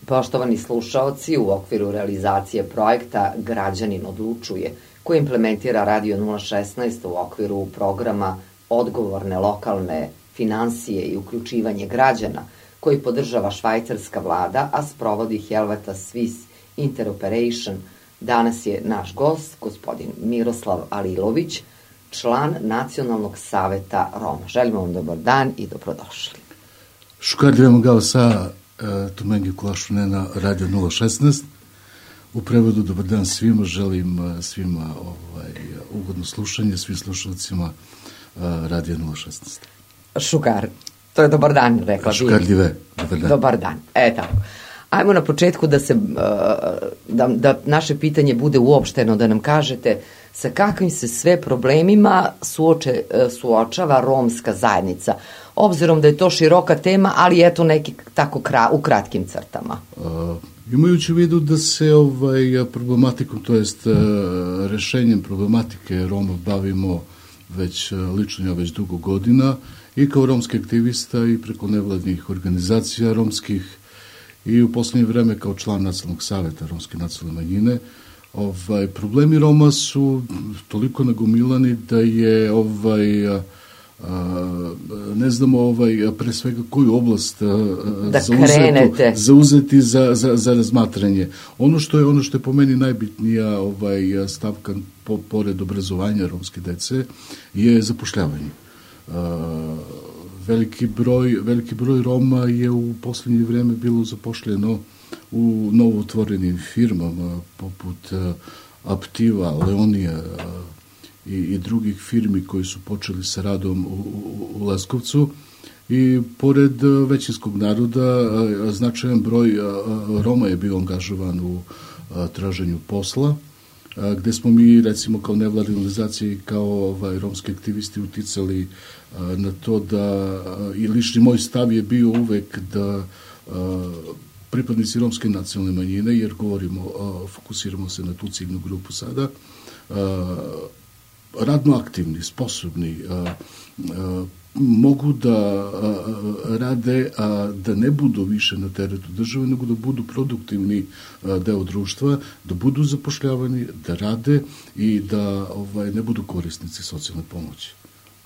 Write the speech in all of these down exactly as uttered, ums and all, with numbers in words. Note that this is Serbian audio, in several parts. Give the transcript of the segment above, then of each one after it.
Poštovani slušaoci, u okviru realizacije projekta Građanin odlučuje, koji implementira Radio nula šesnaest u okviru programa Odgovorne lokalne finansije i uključivanje građana, koji podržava švajcarska vlada, a sprovodi Helvetas Swiss Interoperation, danas je naš gost, gospodin Miroslav Alilović, član Nacionalnog saveta Roma. Želimo vam dobar dan i dobrodošli. Šukardujemo ga sa Tumengi Kulašune na Radio nula šesnaest. U prevodu dobar dan svima, želim svima ovaj, ugodno slušanje, svim slušalcima Radio nula šesnaest. Šukar, to je dobar dan, rekla bi. Šukarljive, dobar dan. Dobar dan, e tako. Ajmo na početku da se, da, da naše pitanje bude uopšteno, da nam kažete sa kakvim se sve problemima suoče, suočava romska zajednica, obzirom da je to široka tema, ali eto neki tako kra, u kratkim crtama. Uh, imajući u vidu da se ovaj problematikom, to jest uh, rešenjem problematike Roma bavimo već lično ja već dugo godina i kao romski aktivista i preko nevladnih organizacija romskih i u poslednje vreme kao član Nacionalnog saveta romske nacionalne manjine, ovaj, problemi Roma su toliko nagomilani da je ovaj, a, a, ne znamo ovaj, pre svega koju oblast a, da zauzetu, zauzeti za, za, za razmatranje. Ono što je, ono što je po meni najbitnija ovaj, stavka po, pored obrazovanja romske dece je zapošljavanje. A, Veliki broj, veliki broj Roma je u poslednje vreme bilo zapošljeno u novootvorenim firmama poput Aptiva, Leonija i, i drugih firmi koji su počeli sa radom u, u, u Leskovcu. I pored većinskog naroda značajan broj Roma je bio angažovan u traženju posla, gde smo mi, recimo, kao nevladine organizacije i kao ovaj, romski aktivisti uticali a, na to da, a, i lični moj stav je bio uvek da a, pripadnici romske nacionalne manjine, jer govorimo, a, fokusiramo se na tu ciljnu grupu sada, a, radno aktivni, sposobni, a, a, mogu da a, rade, a da ne budu više na teretu države, nego da budu produktivni a, deo društva, da budu zapošljavani, da rade i da ovaj, ne budu korisnici socijalne pomoći.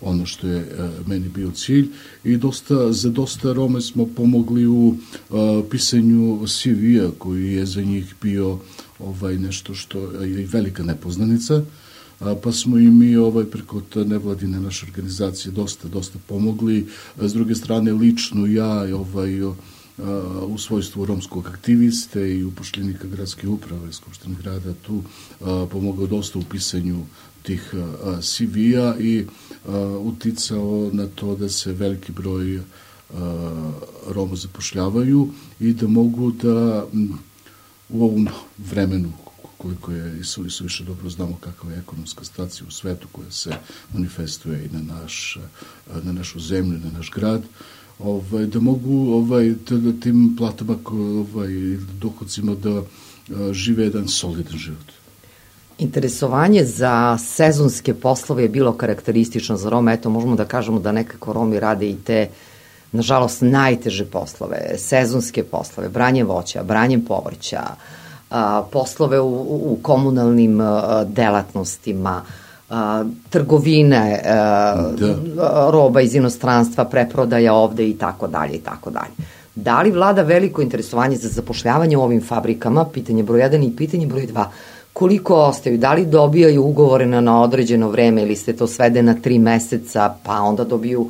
Ono što je a, meni bio cilj i dosta, za dosta Rome smo pomogli u a, pisanju C V-a koji je za njih bio ovaj, nešto što je velika nepoznanica. Pa smo i mi ovaj, preko nevladine naše organizacije dosta, dosta pomogli. S druge strane, lično ja ovaj, u svojstvu romskog aktiviste i upošljenika gradske uprave Skupštine grada tu pomogao dosta u pisanju tih C V-a i uticao na to da se veliki broj Roma zapošljavaju i da mogu da u ovom vremenu koliko je i su, su više dobro znamo kakva je ekonomska situacija u svetu koja se manifestuje i na, naš, na našu zemlju, na naš grad, ovaj, da mogu ovaj, da tim platama, ovaj, dohodcima da žive jedan solidan život. Interesovanje za sezonske poslove je bilo karakteristično za Rome. Eto, možemo da kažemo da nekako Romi rade i te, nažalost, najteže poslove, sezonske poslove, branje voća, branje povrća, A, poslove u, u komunalnim a, delatnostima, a, trgovine, a, da. roba iz inostranstva, preprodaja ovde i tako dalje i tako dalje. Da li vlada veliko interesovanje za zapošljavanje u ovim fabrikama, pitanje broj jedan i pitanje broj dva, koliko ostaju, da li dobijaju ugovore na, na određeno vreme ili se to svede na tri meseca pa onda dobiju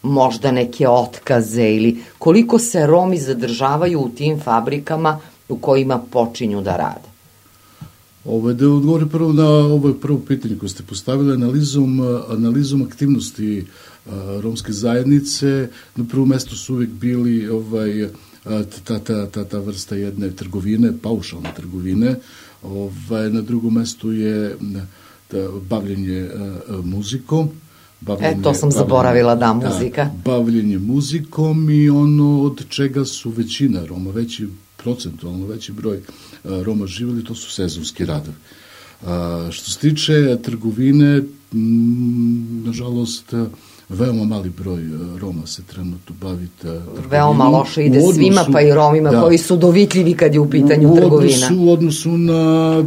možda neke otkaze ili koliko se Romi zadržavaju u tim fabrikama u kojima počinju da rade? Ovo, da odgovorim prvo na ovo prvo pitanje koje ste postavili, analizom, analizom aktivnosti a, romske zajednice. Na prvom mestu su uvek bili ovaj, ta, ta, ta, ta vrsta jedne trgovine, paušalne trgovine. Ovaj, na drugom mestu je da, bavljenje a, muzikom. Bavljenje, e, to sam zaboravila, da, muzika. Da, bavljenje muzikom i ono od čega su većina Roma, veći procentualno veći broj a, Roma živjeli, to su sezonski radovi. A, što se tiče trgovine, m, nažalost, veoma mali broj Roma se trenutno bavi trgovinom. Veoma loše ide odnosu, svima, pa i Romima, da, koji su dovitljivi kad je u pitanju u trgovina. Odnosu, u odnosu na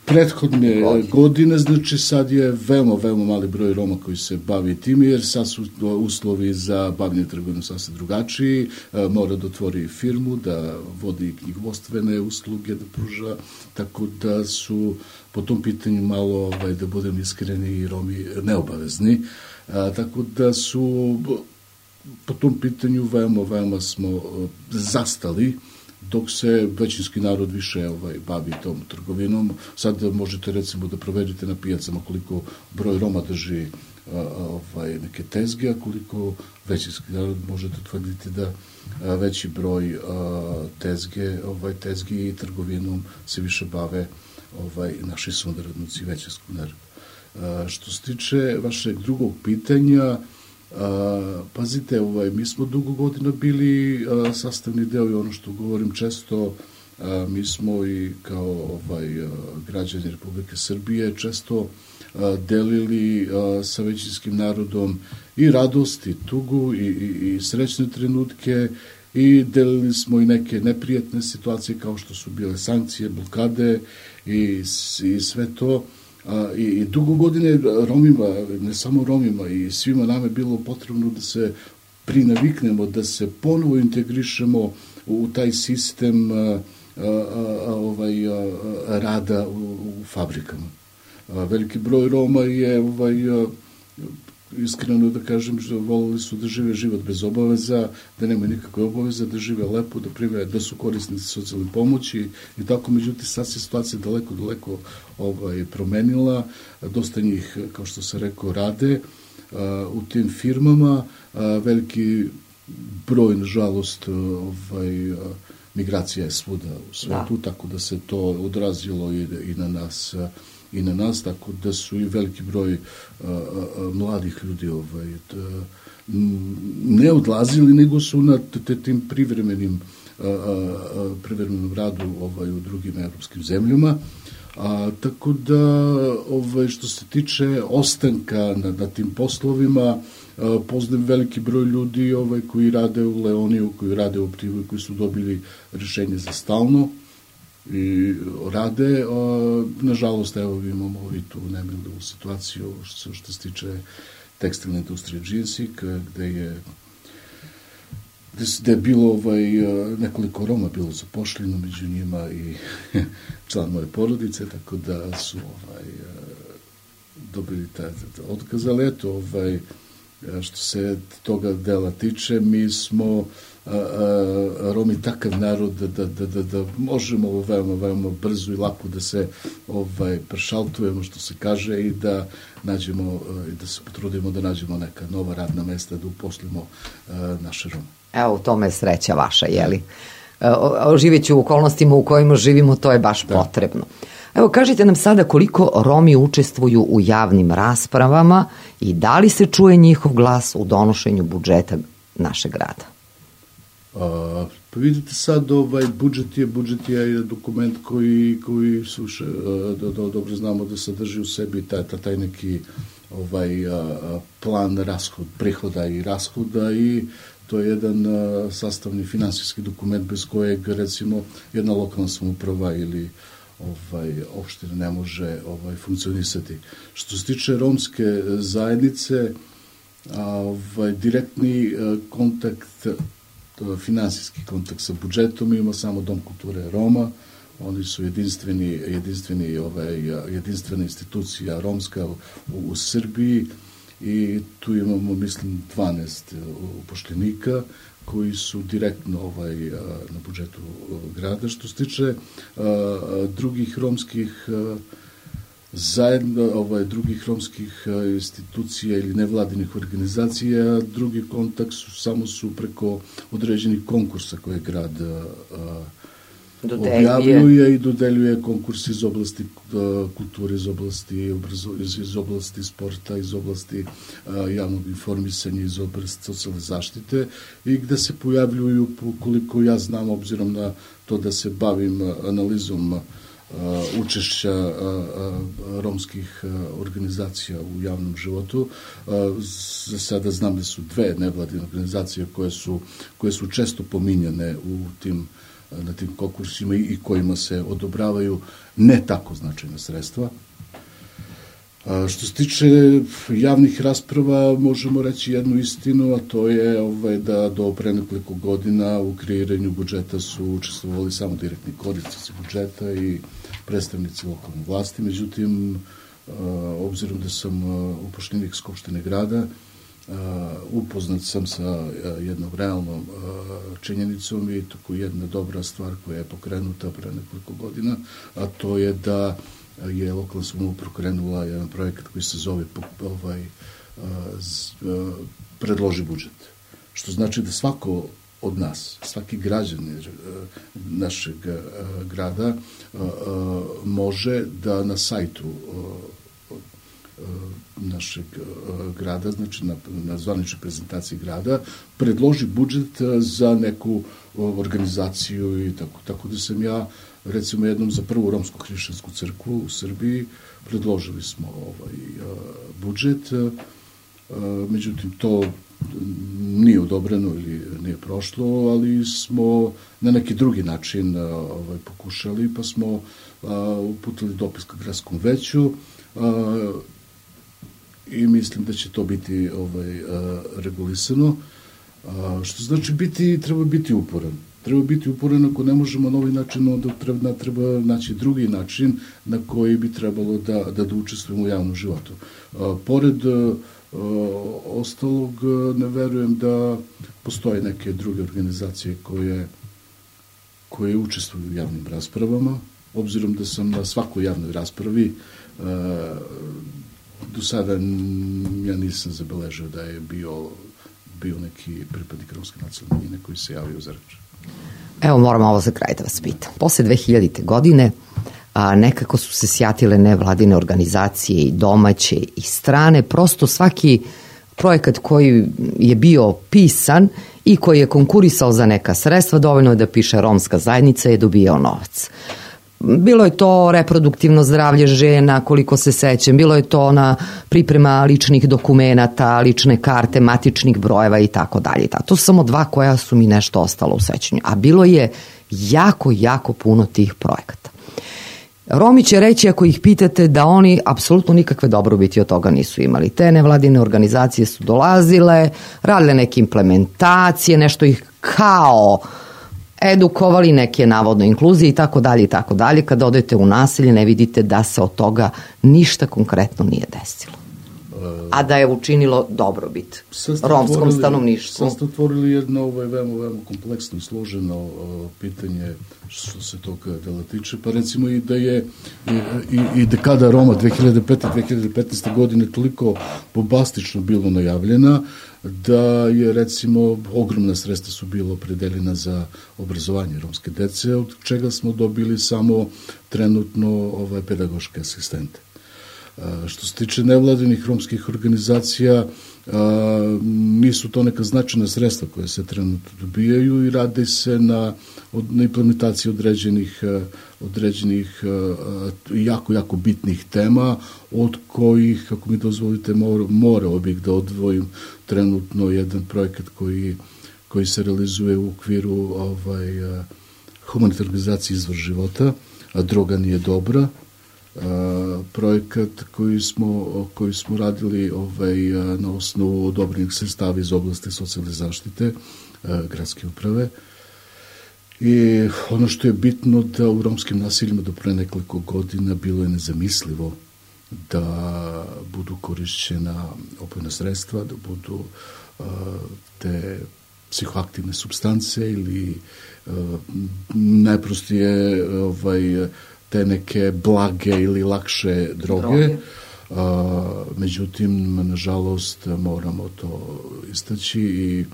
prethodne godine. godine, znači sad je veoma, veoma mali broj Roma koji se bavi tim, jer sad su uslovi za bavljanje trgovinom sasvim drugačiji, mora da otvori firmu, da vodi knjigovodstvene usluge, da pruža, tako da su po tom pitanju malo, ovaj, da budem iskreni, i Romi neobavezni, a, tako da su po tom pitanju veoma, veoma smo zastali, dok se većinski narod više ovaj, bavi tom trgovinom. Sad možete recimo da proverite na pijacama koliko broj Roma drži a, ovaj, neke tezge, a koliko većinski narod možete tvrditi da a, veći broj a, tezge, ovaj, tezgi i trgovinom se više bave ovaj, naši sunarodnici većinskog naroda. A, što se tiče vašeg drugog pitanja, A, pazite, ovaj, mi smo dugo godina bili a, sastavni deo i ono što govorim često, a, mi smo i kao ovaj, a, građani Republike Srbije često a, delili a, sa većinskim narodom i radost i tugu i, i, i srećne trenutke i delili smo i neke neprijatne situacije kao što su bile sankcije, blokade i, i sve to. A, i, i dugo godine Romima, ne samo Romima, i svima nama je bilo potrebno da se prinaviknemo, da se ponovo integrišemo u taj sistem a, a, a, ovaj, a, rada u, u fabrikama. A, veliki broj Roma je, ovaj, a, iskreno da kažem, što volili su da žive život bez obaveza, da nemaju nikakve obaveze, da žive lepo, da prime, da su korisnici socijalne pomoći i tako. Međutim, sad se situacija daleko, daleko ovaj, promenila. Dosta njih, kao što sam rekao, rade a, u tim firmama. A, veliki broj, nažalost, ovaj, a, migracija je svuda u svetu, da, tako da se to odrazilo i, i na nas a, i na nas, tako da su i veliki broj a, a, mladih ljudi ovaj, da, ne odlazili, nego su na tim privremenim a, a, privremenom radu ovaj, u drugim evropskim zemljama. A, tako da, ovaj, što se tiče ostanka na, na tim poslovima, a, poznajem veliki broj ljudi ovaj, koji rade u Leoniju, koji rade u Privoju, koji su dobili rješenje za stalno i rade. A, nažalost, evo imamo i tu nemilu situaciju što, što se tiče tekstilne industrije Džinsik, gde je gde je bilo ovaj, nekoliko Roma bilo zapošljeno, među njima i član moje porodice, tako da su ovaj, dobili taj otkaz, ali eto, ovaj, što se toga dela tiče, mi smo a, a, Romi takav narod da, da, da, da, da možemo veoma, veoma brzo i lako da se ovaj, prešaltujemo, što se kaže, i da nađemo, i da se potrudimo da nađemo neka nova radna mesta, da uposlimo a, naše Rome. Evo, u tome je sreća vaša, jeli? Živeći u okolnostima u kojima živimo, to je baš da. potrebno. Evo, kažite nam sada koliko Romi učestvuju u javnim raspravama i da li se čuje njihov glas u donošenju budžeta našeg grada? A, pa vidite sad, ovaj, budžet je, budžet je dokument koji, koji suše, do, do, dobro znamo da sadrži u sebi taj, taj neki ovaj, a, plan rashod, prihoda i rashoda, i to je jedan a, sastavni finansijski dokument bez kojeg, recimo, jedna lokalna samouprava ili ovaj, opština ne može ovaj, funkcionisati. Što se tiče romske zajednice, a, ovaj, direktni a, kontakt, finansijski kontakt sa budžetom ima samo Dom kulture Roma. Oni su jedinstveni, jedinstveni, ovaj, jedinstvena institucija romska u, u Srbiji, i tu imamo, mislim, dvanaest upošljenika koji su direktno ovaj, na budžetu grada. Što se tiče a, drugih romskih a, zajedno, ovaj, drugih romskih institucija ili nevladinih organizacija, drugi kontakt su, samo su preko određenih konkursa koje grad a, objavljuje i dodeljuje konkurs iz oblasti kulture, iz oblasti obrazo, iz, iz oblasti sporta, iz oblasti a, javnog informisanja, iz oblasti socijalne zaštite, i gde se pojavljuju, koliko ja znam, obzirom na to da se bavim analizom učešća romskih organizacija u javnom životu. Za sada znam da su dve nevladine organizacije koje su, koje su često pominjane u tim, na tim konkursima i kojima se odobravaju ne tako značajna sredstva. Što se tiče javnih rasprava, možemo reći jednu istinu, a to je ovaj, da do pre nekoliko godina u kreiranju budžeta su učestvovali samo direktni korisnici budžeta i predstavnici lokalne vlasti. Međutim, obzirom da sam upošljenik Skupštine grada, upoznat sam sa jednom realnom činjenicom i tako jedna dobra stvar koja je pokrenuta pre nekoliko godina, a to je da je lokalna samouprava pokrenula jedan projekat koji se zove ovaj, predloži budžet. Što znači da svako od nas, svaki građanin našeg grada može da na sajtu našeg grada, znači na, na zvaničnoj prezentaciji grada, predloži budžet za neku organizaciju i tako. Tako da sam ja, recimo, jednom za prvu romsku hrišćansku crkvu u Srbiji predložili smo ovaj budžet, međutim to nije odobreno ili nije prošlo, ali smo na neki drugi način ovaj, pokušali, pa smo uputili dopis ka gradskom veću i mislim da će to biti ovaj, regulisano, što znači biti, treba biti uporan. Treba biti uporan ako ne možemo na ovaj način, onda treba, treba naći drugi način na koji bi trebalo da, da, da učestvujemo u javnom životu. A, pored a, ostalog, ne verujem da postoje neke druge organizacije koje, koje učestvuju u javnim raspravama, obzirom da sam na svakoj javnoj raspravi a, do sada ja nisam zabeležio da je bio, bio neki pripadnik romske nacionalne manjine koji se javio za reč. Evo, moram ovo za kraj da vas pitam. Posle dve hiljadite. godine a, nekako su se sjatile nevladine organizacije i domaće i strane. Prosto svaki projekat koji je bio pisan i koji je konkurisao za neka sredstva, dovoljno je da piše romska zajednica, je dobijao novac. Bilo je to reproduktivno zdravlje žena, koliko se sećam, bilo je to na priprema ličnih dokumenata, lične karte, matičnih brojeva i tako dalje. To su samo dva koja su mi nešto ostalo u sećanju, a bilo je jako, jako puno tih projekata. Romi će reći, ako ih pitate, da oni apsolutno nikakve dobrobiti od toga nisu imali. Te nevladine organizacije su dolazile, radile neke implementacije, nešto ih kao edukovali, neke navodno inkluzije i tako dalje i tako dalje. Kada odete u naselje ne vidite da se od toga ništa konkretno nije desilo. A da je učinilo dobrobit romskom stanovništvu. Sad ste otvorili jedno ovaj, veoma, veoma kompleksno i složeno uh, pitanje što se toga dela tiče. Pa recimo i da je i, i, i dekada Roma dve hiljade pete do dve hiljade petnaeste. godine toliko bombastično bilo najavljena da je recimo ogromna sredstva su bilo opredeljena za obrazovanje romske dece, od čega smo dobili samo trenutno ovaj, pedagoške asistente. Što se tiče nevladinih romskih organizacija, nisu to neka značajna sredstva koje se trenutno dobijaju i radi se na, na implementaciji određenih, određenih jako, jako bitnih tema, od kojih, kako mi dozvolite, mor, morao bih da odvojim trenutno jedan projekat koji, koji se realizuje u okviru ovaj, humanitarne organizacije Izvor života, a droga nije dobra. Uh, projekat koji smo, koji smo radili ovaj, na osnovu odobrenih sredstava iz oblasti socijalne zaštite uh, gradske uprave. I ono što je bitno da u romskim naseljima do pre nekoliko godina bilo je nezamislivo da budu korišćena opojna sredstva, da budu uh, te psihoaktivne supstance ili uh, najprostije ovaj, te neke blage ili lakše droge. droge. A, međutim, nažalost, moramo to istaći i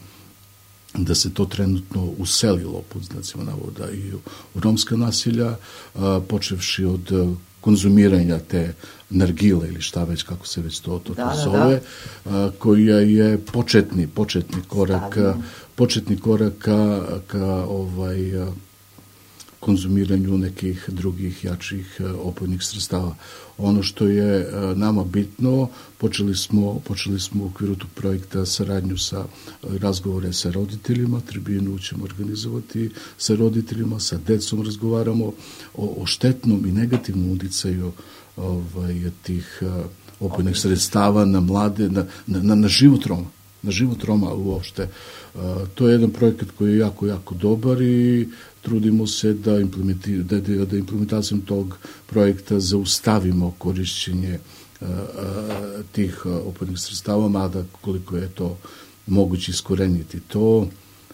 da se to trenutno uselilo, pod znacima navoda, i u, u romska nasilja, a, počevši od konzumiranja te nargile ili šta već, kako se već to, to, da, to zove, da, da. A, koja je početni, početni korak, Stavljeno. početni korak ka, ka ovaj, konzumiranju nekih drugih jačih opojnih sredstava. Ono što je nama bitno, počeli smo, počeli smo u okviru tog projekta saradnju sa razgovore sa roditeljima, tribinu ćemo organizovati sa roditeljima, sa decom razgovaramo o, o štetnom i negativnom uticaju ovaj, tih opojnih sredstava na mlade, na, na, na život Roma, na život Roma uopšte. To je jedan projekat koji je jako, jako dobar i trudimo se da, implementi, da, da implementacijom tog projekta zaustavimo korišćenje a, a, tih opojnih sredstava, mada koliko je to moguće iskoreniti to,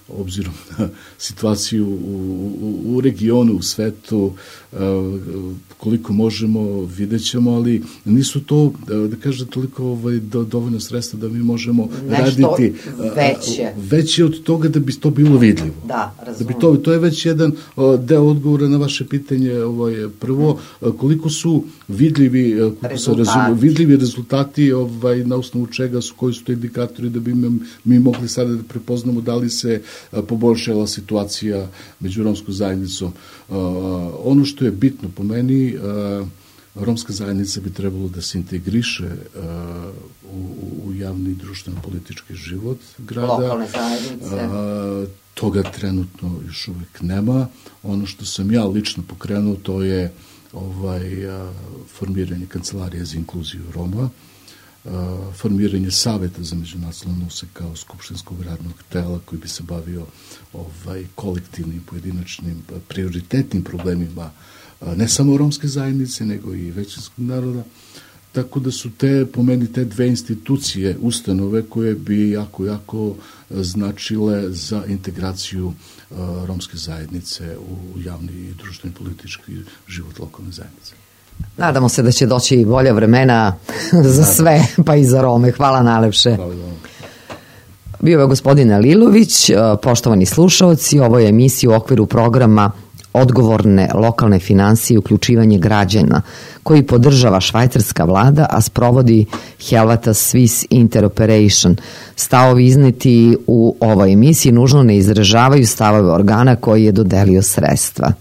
obzirom na situaciju u, u, u regionu, u svetu, koliko možemo, vidjet ćemo, ali nisu to, da kažem, toliko ovaj, do, dovoljno sredstva da mi možemo nešto raditi veće. veće od toga da bi to bilo vidljivo. Da, razumem. Da bi to, to je već jedan deo odgovora na vaše pitanje. Ovaj, prvo, koliko su vidljivi rezultati, razum, vidljivi rezultati ovaj, na osnovu čega su, koji su to indikatori da bi mi, mi mogli sada da prepoznamo da li se poboljšala situacija među romskom zajednicom. Ono što je bitno po meni, romska zajednica bi trebalo da se integriše u, u javni i društveno-politički život grada. Lokalne zajednice. Toga trenutno još uvek nema. Ono što sam ja lično pokrenuo, to je ovaj, formiranje kancelarije za inkluziju Roma, formiranje saveta za međunacionalne odnose kao skupštinskog radnog tela koji bi se bavio ovaj, kolektivnim, pojedinačnim, prioritetnim problemima ne samo romske zajednice, nego i većinskog naroda. Tako da su te, po meni, te dve institucije, ustanove koje bi jako, jako značile za integraciju uh, romske zajednice u javni i društveni politički život lokalne zajednice. Nadamo se da će doći bolja vremena za sve, pa i za Rome. Hvala najlepše. Hvala vam. Bio je gospodin Alilović, poštovani slušaoci, ovo je emisija u okviru programa Odgovorne lokalne finansije i uključivanje građana, koji podržava švajcarska vlada, a sprovodi Helvetas Swiss Interoperation. Stavovi izneti u ovoj emisiji nužno ne izražavaju stavove organa koji je dodelio sredstva.